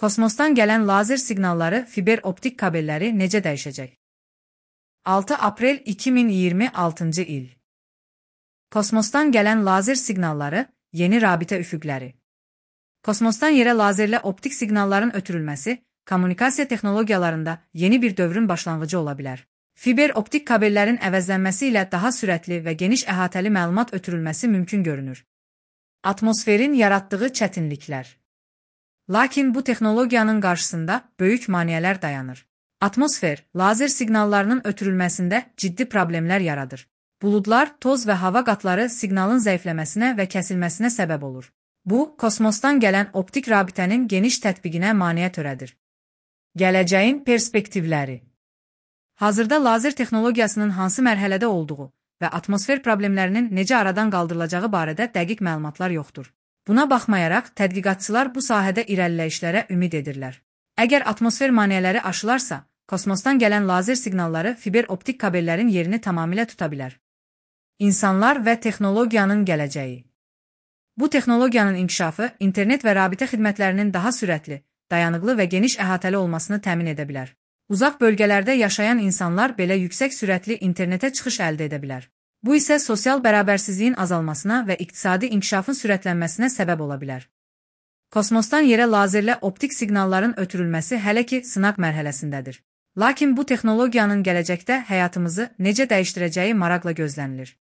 Kosmosdan gələn lazer siqnalları, fiber optik kabelləri necə dəyişəcək? 6 aprel 2026-cı il. Kosmosdan gələn lazer siqnalları, yeni rabitə üfüqləri. Kosmosdan yerə lazerlə optik siqnalların ötürülməsi, kommunikasiya texnologiyalarında yeni bir dövrün başlanğıcı ola bilər. Fiber optik kabellərin əvəzlənməsi ilə daha sürətli və geniş əhatəli məlumat ötürülməsi mümkün görünür. Atmosferin yaratdığı çətinliklər. Lakin bu texnologiyanın qarşısında böyük maneələr dayanır. Atmosfer, lazer siqnallarının ötürülməsində ciddi problemlər yaradır. Buludlar, toz və hava qatları siqnalın zəifləməsinə və kəsilməsinə səbəb olur. Bu, kosmosdan gələn optik rabitənin geniş tətbiqinə maneə törədir. Gələcəyin perspektivləri. Hazırda lazer texnologiyasının hansı mərhələdə olduğu və atmosfer problemlərinin necə aradan qaldırılacağı barədə dəqiq məlumatlar yoxdur. Buna baxmayaraq, tədqiqatçılar bu sahədə irəliləyişlərə ümid edirlər. Əgər atmosfer maneələri aşılarsa, kosmosdan gələn lazer siqnalları fiber optik kabellərin yerini tamamilə tuta bilər. İnsanlar və texnologiyanın gələcəyi. Bu texnologiyanın inkişafı, internet və rabitə xidmətlərinin daha sürətli, dayanıqlı və geniş əhatəli olmasını təmin edə bilər. Uzaq bölgələrdə yaşayan insanlar belə yüksək sürətli internetə çıxış əldə edə bilər. Bu isə sosial bərabərsizliyin azalmasına və iqtisadi inkişafın sürətlənməsinə səbəb ola bilər. Kosmosdan yerə lazerlə optik siqnalların ötürülməsi hələ ki sınaq mərhələsindədir. Lakin bu texnologiyanın gələcəkdə həyatımızı necə dəyişdirəcəyi maraqla gözlənilir.